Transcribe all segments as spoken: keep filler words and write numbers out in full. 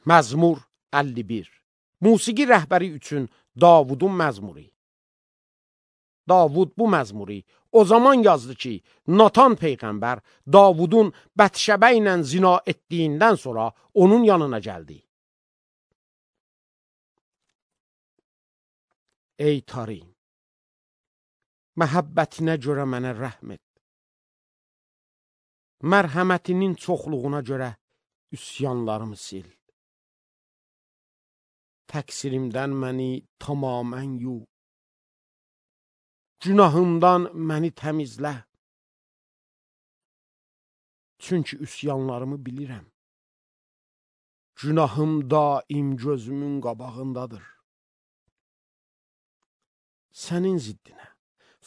Məzmur əlli bir. Musiqi rəhbəri üçün Davudun məzmuru. Davud bu məzmuru o zaman yazdı ki, Natan peyğəmbər Davudun Bətşəbə ilə zina etdiyindən sonra onun yanına gəldi. Ey Tari, məhəbbətinə görə mənə rəhm et. Mərhəmətinin çoxluğuna görə üsyanlarımı sil. Təqsirimdən məni tamamən yu. Günahımdan məni təmizlə. Çünki üsyanlarımı bilirəm. Günahım daim gözümün qabağındadır. Sənin ziddinə,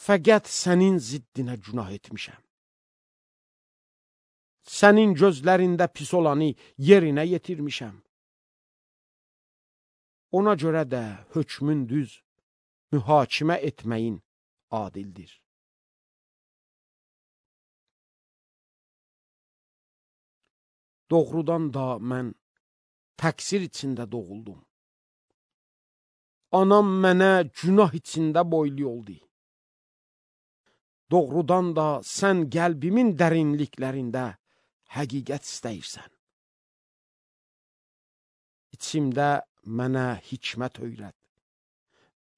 fəqət sənin ziddinə günah etmişəm. Sənin gözlərində pis olanı yerinə yetirmişəm. Ona görə də hökmün düz, mühakimə etməyin adildir. Doğrudan da mən təqsir içində doğuldum. Anam mənə günah içində boylu oldu. Doğrudan da sən qəlbimin dərinliklərində həqiqət istəyirsən. İçimdə mənə hikmət öyrət.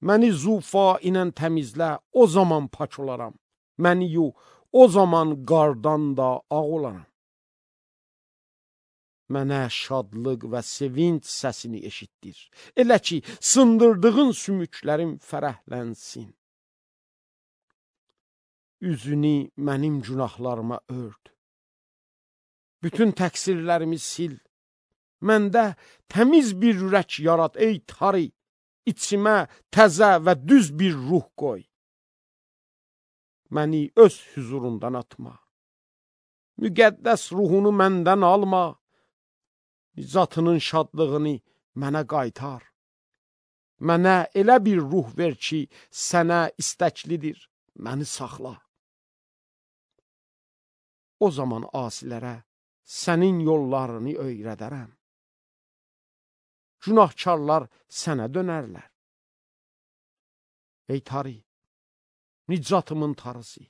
Məni zufa ilə təmizlə, o zaman pak olaram. Məni yu, o zaman qardan da ağ olaram. Mənə şadlıq və sevinç səsini eşitdir. Elə ki, sındırdığın sümüklərim fərəhlənsin. Üzünü mənim günahlarıma ört. Bütün təqsirlərimi sil. Məndə təmiz bir ürək yarat, ey Tari. İçimə təzə və düz bir ruh qoy. Məni öz hüzurundan atma. Müqəddəs ruhunu məndən alma. Zatının şadlığını mənə qaytar. Mənə elə bir ruh ver ki, sənə istəklidir, məni saxla. O zaman asilərə sənin yollarını öyrədərəm. Günahkarlar sənə dönərlər. Ey Tari, nicatımın tarısı.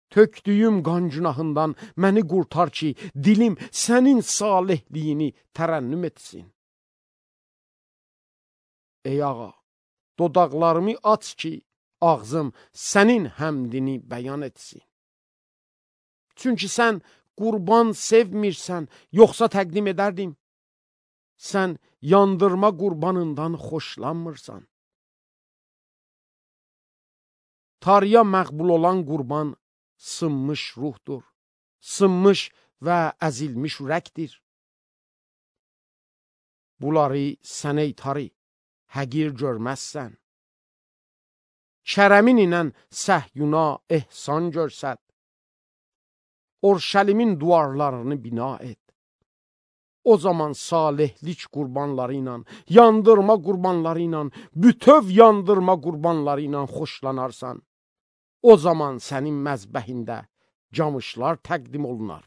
Tökdüyüm qan günahından məni qurtar ki, dilim sənin salihliyini tərənnüm etsin. Ey ağa, dodaqlarımı aç ki, ağzım sənin həmdini bəyan etsin. Çünki sən qurban sevmirsən, yoxsa təqdim edərdim. Sən yandırma qurbanından xoşlanmırsan. Tariya məqbul olan qurban sınmış ruhdur, sınmış və əzilmiş ürəkdir. Bunları sən ey Tari, həqir görməzsən. Kərəmin ilə səhyuna ehsan görsət. Orşəlimin duvarlarını bina et. O zaman salihlik qurbanları ilə, yandırma qurbanları ilə, bütöv yandırma qurbanları ilə xoşlanarsan. O zaman sənin məzbəhində camışlar təqdim olunar.